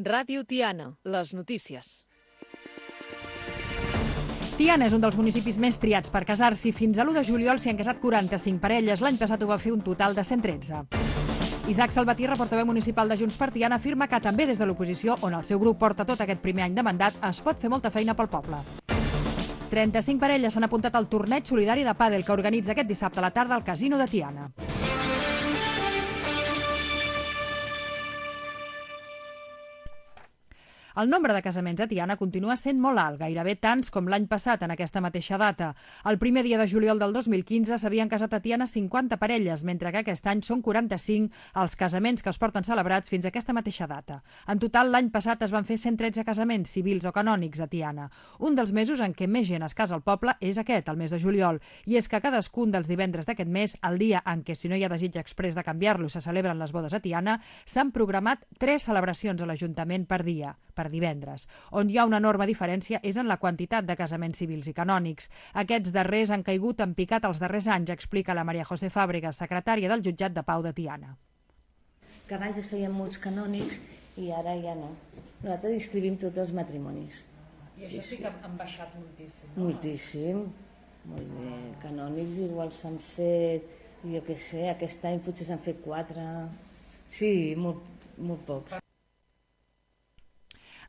Ràdio Tiana, les notícies. Tiana és un dels municipis més triats per casar-s'hi. Fins a l'1 de juliol s'hi han casat 45 parelles. L'any passat ho va fer un total de 113. Isaac Salvatierra, portaveu municipal de Junts per Tiana, afirma que també des de l'oposició, on el seu grup porta tot aquest primer any de mandat, es pot fer molta feina pel poble. 35 parelles s'han apuntat al torneig solidari de pàdel que organitza aquest dissabte a la tarda al Casino de Tiana. El nombre de casaments a Tiana continua sent molt alt, gairebé tants com l'any passat en aquesta mateixa data. El primer dia de juliol del 2015 s'havien casat a Tiana 50 parelles, mentre que aquest any són 45 els casaments que es porten celebrats fins a aquesta mateixa data. En total, l'any passat es van fer 113 casaments civils o canònics a Tiana. Un dels mesos en què més gent es casa al poble és aquest, el mes de juliol, i és que cadascun dels divendres d'aquest mes, el dia en què, si no hi ha desig exprés de canviar-lo, se celebren les bodes a Tiana, s'han programat 3 celebracions a l'Ajuntament per dia, per divendres. On hi ha una enorme diferència és en la quantitat de casaments civils i canònics. Aquests darrers han caigut en picat els darrers anys, explica la Maria José Fàbregas, secretària del Jutjat de Pau de Tiana. Que abans es feien molts canònics i ara ja no. Nosaltres inscrivim tots els matrimonis. I això sí que han baixat moltíssim. Moltíssim. Molt bé. Canònics igual s'han fet, jo què sé, aquest any potser s'han fet 4. Sí, molt pocs.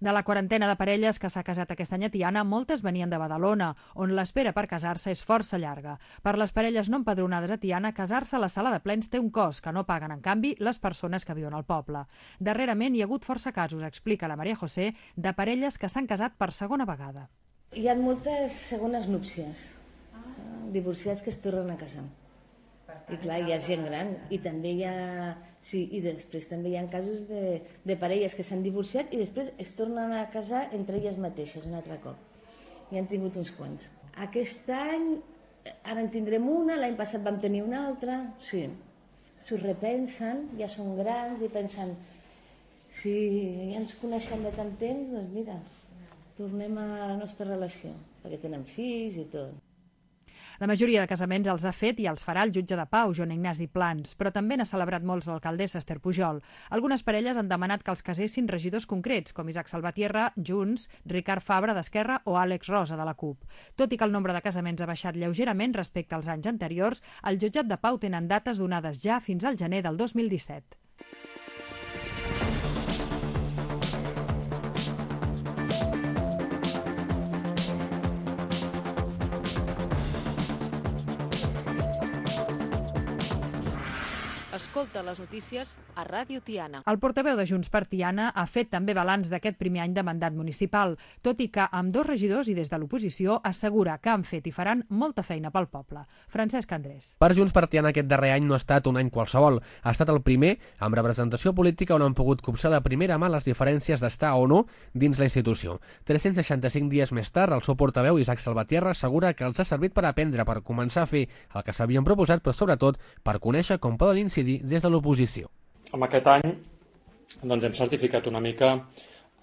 De la quarantena de parelles que s'ha casat aquest any a Tiana, moltes venien de Badalona, on l'espera per casar-se és força llarga. Per les parelles no empadronades a Tiana, casar-se a la sala de plens té un cost que no paguen, en canvi, les persones que viuen al poble. Darrerament hi ha hagut força casos, explica la Maria José, de parelles que s'han casat per segona vegada. Hi ha moltes segones núpcies, divorciats que es tornen a casar. I clar, hi ha gent gran i també hi ha... Sí, i després també hi ha casos de parelles que s'han divorciat i després es tornen a casar entre elles mateixes un altre cop. I hem tingut uns quants. Aquest any, ara en tindrem una, l'any passat vam tenir una altra, sí. S'ho repensen, ja són grans i pensen si ja ens coneixem de tant temps, doncs mira, tornem a la nostra relació, perquè tenen fills i tot. La majoria de casaments els ha fet i els farà el jutge de Pau, Joan Ignasi Plans, però també n'ha celebrat molts l'alcaldessa Esther Pujol. Algunes parelles han demanat que els casessin regidors concrets, com Isaac Salvatierra, Junts, Ricard Fabra d'Esquerra o Àlex Rosa de la CUP. Tot i que el nombre de casaments ha baixat lleugerament respecte als anys anteriors, el jutjat de Pau tenen dates donades ja fins al gener del 2017. Escolta les notícies a Ràdio Tiana. El portaveu de Junts per Tiana ha fet també balanç d'aquest primer any de mandat municipal, tot i que amb 2 regidors i des de l'oposició assegura que han fet i faran molta feina pel poble. Francesc Andrés. Per Junts per Tiana aquest darrer any no ha estat un any qualsevol. Ha estat el primer amb representació política on han pogut copsar de primera mà les diferències d'estar o no dins la institució. 365 dies més tard, el seu portaveu Isaac Salvatierra assegura que els ha servit per aprendre, per començar a fer el que s'havien proposat, però sobretot per conèixer com poden incidir des de l'oposició. En aquest any doncs, hem certificat una mica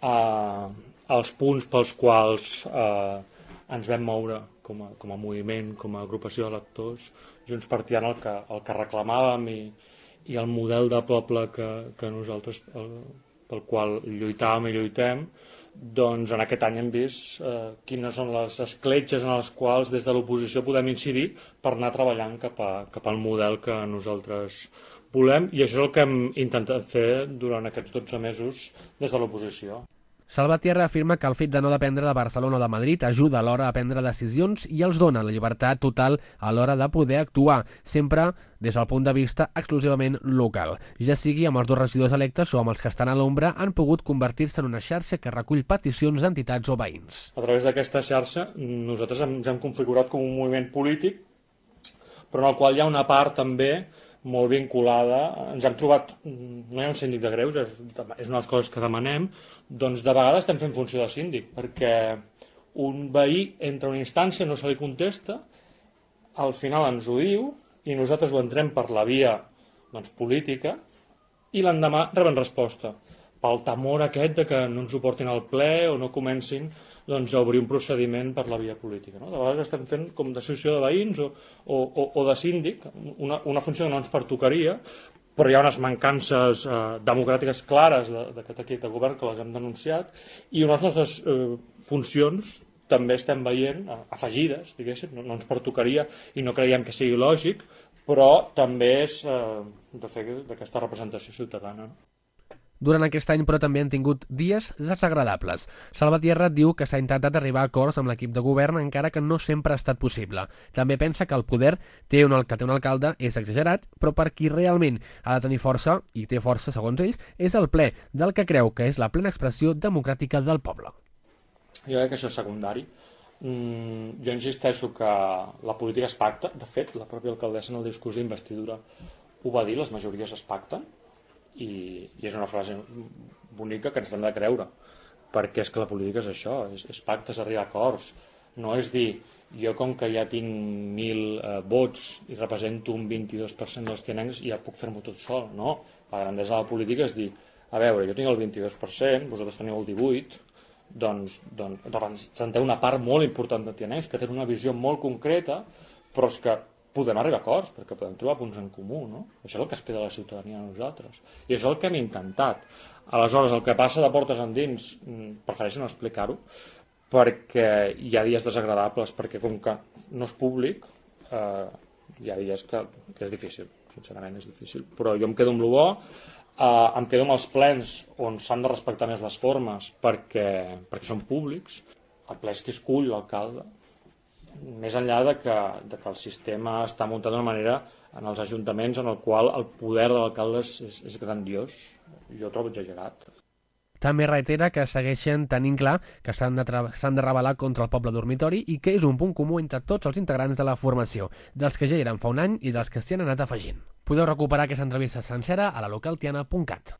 els punts pels quals ens vam moure com a moviment, com a agrupació d'electors, Junts per Tiana, el que reclamàvem i el model de poble que nosaltres pel qual lluitàvem i lluitem. Doncs en aquest any hem vist quines són les escletxes en les quals des de l'oposició podem incidir per anar treballant cap al model que nosaltres volem, i això és el que hem intentat fer durant aquests 12 mesos des de l'oposició. Salvatierra afirma que el fet de no dependre de Barcelona o de Madrid ajuda a l'hora a prendre decisions i els dona la llibertat total a l'hora de poder actuar, sempre des del punt de vista exclusivament local. Ja sigui amb els 2 regidors electes o amb els que estan a l'ombra, han pogut convertir-se en una xarxa que recull peticions d'entitats o veïns. A través d'aquesta xarxa nosaltres ens hem configurat com un moviment polític, però en el qual hi ha una part també molt vinculada. Ens hem trobat, no hi ha un síndic de greuges, és una de les coses que demanem, doncs de vegades estem fent funció de síndic, perquè un veí entra a una instància, no se li contesta, al final ens ho diu i nosaltres ho entrem per la via política i l'endemà reben resposta. pel temor aquest de que no ens ho portin al ple o no comencin a obrir un procediment per la via política. No? De vegades estem fent com d'associació de veïns o de síndic, una funció que no ens pertocaria, però hi ha unes mancances democràtiques clares d'aquest equip de govern que les hem denunciat, i unes nostres funcions també estem veient afegides, diguéssim, no ens pertocaria i no creiem que sigui lògic, però també és de fer d'aquesta representació ciutadana. Durant aquest any, però, també han tingut dies desagradables. Salvatierra diu que s'ha intentat arribar a acords amb l'equip de govern, encara que no sempre ha estat possible. També pensa que el poder que té un alcalde és exagerat, però per qui realment ha de tenir força, i té força segons ells, és el ple, del que creu que és la plena expressió democràtica del poble. Jo crec que això és secundari. Jo insisteixo que la política es pacta. De fet, la pròpia alcaldessa en el discurs d'investidura ho va dir, les majories es pacten, i és una frase bonica que ens hem de creure, perquè és que la política és això, és pactes, arribar a acords. No és dir, jo com que ja tinc 1.000 vots i represento un 22% dels tianencs ja puc fer-m'ho tot sol. No, la grandesa de la política és dir, a veure, jo tinc el 22%, vosaltres teniu el 18%, doncs representeu una part molt important de tianencs que tenen una visió molt concreta, però és que podem arribar a acords, perquè podem trobar punts en comú, no? Això és el que espera la ciutadania a nosaltres. I això és el que hem intentat. Aleshores, el que passa de portes endins, prefereixo no explicar-ho, perquè hi ha dies desagradables, perquè com que no és públic, hi ha dies que és difícil, sincerament és difícil. Però jo em quedo amb lo bo, em quedo amb els plens on s'han de respectar més les formes perquè són públics. El ple és qui escull l'alcalde, més enllà de que el sistema està muntat d'una manera en els ajuntaments en el qual el poder de l'alcalde és grandiós. Jo ho trobo exagerat. També reitera que segueixen tenint clar que s'han de rebel·lar contra el poble dormitori i que és un punt comú entre tots els integrants de la formació, dels que ja eren fa un any i dels que s'hi han anat afegint. Podeu recuperar aquesta entrevista sencera a lalocaltiana.cat.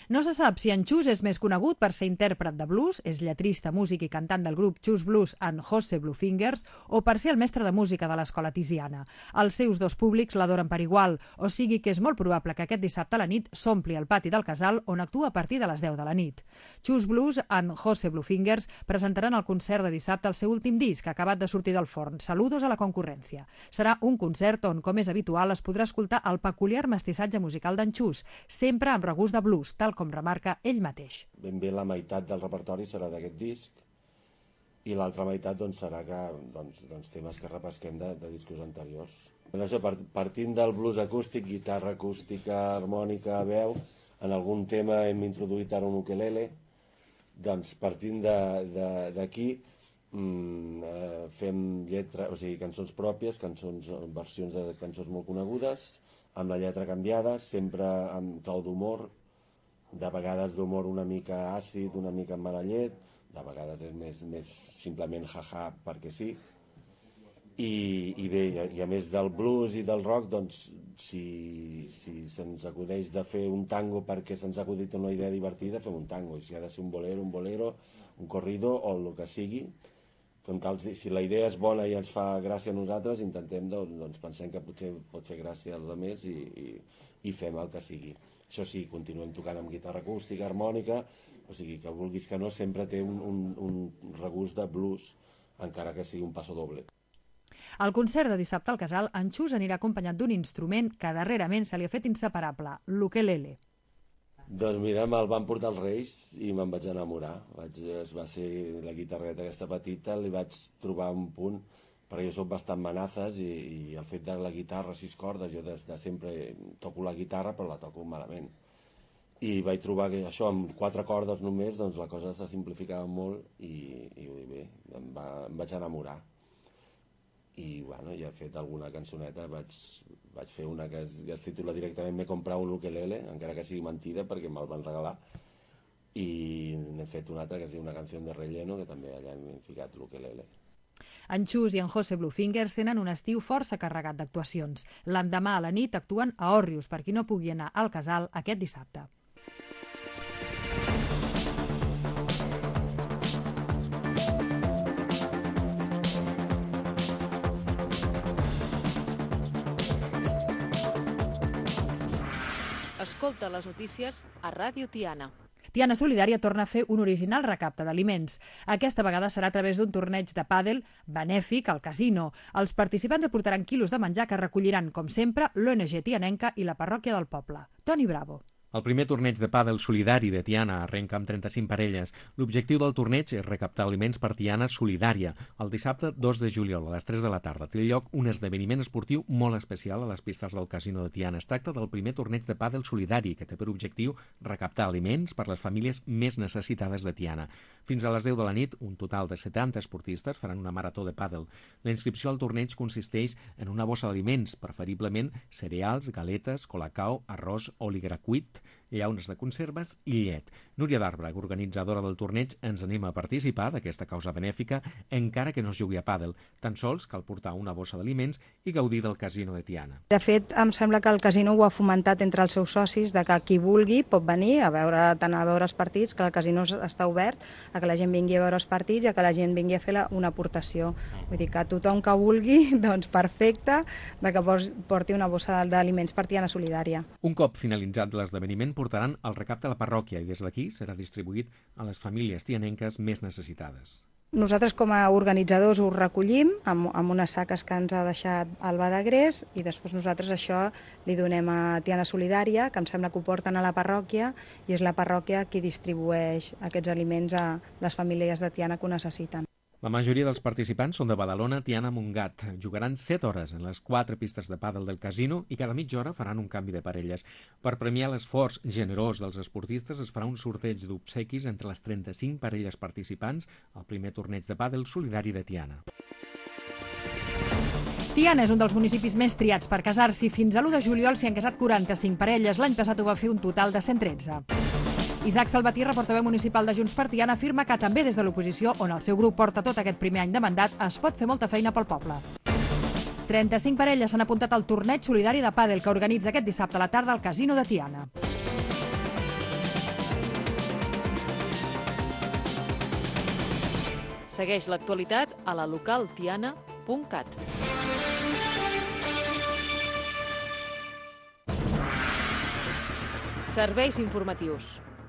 No se sap si en Chus és més conegut per ser intèrpret de blues, és lletrista, músic i cantant del grup Chus Blues and Jose Bluefingers, o per ser el mestre de música de l'escola Tiziana. Els seus dos públics l'adoren per igual, o sigui que és molt probable que aquest dissabte a la nit s'ompli el pati del casal, on actua a partir de les 10 de la nit. Chus Blues and Jose Bluefingers presentaran el concert de dissabte el seu últim disc, acabat de sortir del forn, Saludos a la concurrència. Serà un concert on, com és habitual, es podrà escoltar el peculiar mestissatge musical d'en Chus, sempre amb regust de blues, tal com remarca ell mateix. Ben bé la meitat del repertori serà d'aquest disc i l'altra meitat serà temes que repesquem de discos anteriors. Això, partint del blues acústic, guitarra acústica, harmònica, veu, en algun tema hem introduït ara un ukelele, doncs partint d'aquí fem lletra, o sigui, cançons pròpies, versions de cançons molt conegudes, amb la lletra canviada, sempre amb clau d'humor, de vegades d'humor una mica àcid, una mica amb mala llet, de vegades és més simplement jaja perquè sí. I bé, i a més del blues i del rock, doncs, si se'ns acudeix de fer un tango perquè se'ns ha acudit una idea divertida, fem un tango. I si ha de ser un bolero, un corrido o el que sigui, si la idea és bona i ens fa gràcia a nosaltres, intentem, doncs pensem que potser pot fer gràcia als altres i fem el que sigui. Això sí, continuem tocant amb guitarra acústica, harmònica, o sigui que vulguis que no, sempre té un regust de blues, encara que sigui un passo doble. Al concert de dissabte al Casal, en Chus anirà acompanyat d'un instrument que darrerament se li ha fet inseparable, l'ukelele. Doncs mira, me'l van portar els Reis i me'n vaig enamorar. Va ser la guitarreta aquesta petita, li vaig trobar un punt, perquè jo soc bastant manazes i el fet de la guitarra, 6 cordes, jo de sempre toco la guitarra però la toco malament. I vaig trobar que això, amb 4 cordes només, doncs la cosa se simplificava molt i bé, em vaig enamorar. I bueno, ja he fet alguna cançoneta, vaig fer una que es titula directament M'he comprat un ukelele, encara que sigui mentida perquè me'l van regalar, i n'he fet una altra que es diu Una canción de relleno, que també allà hem ficat l'ukelele. En Chus i en Jose Bluefingers tenen un estiu força carregat d'actuacions. L'endemà a la nit actuen a Òrrius, per qui no pugui anar al Casal aquest dissabte. Escolta les notícies a Ràdio Tiana. Tiana Solidària torna a fer un original recapte d'aliments. Aquesta vegada serà a través d'un torneig de pàdel benèfic al casino. Els participants aportaran quilos de menjar que recolliran, com sempre, l'ONG Tianenca i la parròquia del poble. Toni Bravo. El primer torneig de pàdel solidari de Tiana arrenca amb 35 parelles. L'objectiu del torneig és recaptar aliments per Tiana Solidària. El dissabte 2 de juliol a les 3 de la tarda té lloc un esdeveniment esportiu molt especial a les pistes del casino de Tiana. Es tracta del primer torneig de pàdel solidari que té per objectiu recaptar aliments per les famílies més necessitades de Tiana. Fins a les 10 de la nit, un total de 70 esportistes faran una marató de pàdel. La inscripció al torneig consisteix en una bossa d'aliments, preferiblement cereals, galetes, colacao, arròs, òligra cuit, llaunes de conserves i llet. Núria d'Arbre, organitzadora del torneig, ens anima a participar d'aquesta causa benèfica encara que no es jugui a pàdel. Tan sols cal portar una bossa d'aliments i gaudir del casino de Tiana. De fet, em sembla que el casino ho ha fomentat entre els seus socis, de que qui vulgui pot venir a veure, tant a veure els partits, que el casino està obert, a que la gent vingui a veure els partits i a que la gent vingui a fer una aportació. Vull dir que tothom que vulgui, doncs perfecte, de que porti una bossa d'aliments per Tiana Solidària. Un cop finalitzat l'esdeveniment, portaran el recapte a la parròquia i des d'aquí serà distribuït a les famílies tianenques més necessitades. Nosaltres com a organitzadors ho recollim amb unes saques que ens ha deixat el Badagrés i després nosaltres això li donem a Tiana Solidària, que em sembla que ho porten a la parròquia i és la parròquia qui distribueix aquests aliments a les famílies de Tiana que ho necessiten. La majoria dels participants són de Badalona, Tiana, Montgat. Jugaran 7 hores en les 4 pistes de pàdel del casino i cada mitja hora faran un canvi de parelles. Per premiar l'esforç generós dels esportistes es farà un sorteig d'obsequis entre les 35 parelles participants al primer torneig de pàdel solidari de Tiana. Tiana és un dels municipis més triats per casar-s'hi. Fins a l'1 de juliol s'hi han casat 45 parelles. L'any passat ho va fer un total de 113. Isaac Salvatierra, portaveu municipal de Junts per Tiana, afirma que també des de l'oposició, on el seu grup porta tot aquest primer any de mandat, es pot fer molta feina pel poble. 35 parelles s'han apuntat al torneig solidari de pàdel que organitza aquest dissabte a la tarda al casino de Tiana. Segueix l'actualitat a la localtiana.cat. Serveis informatius.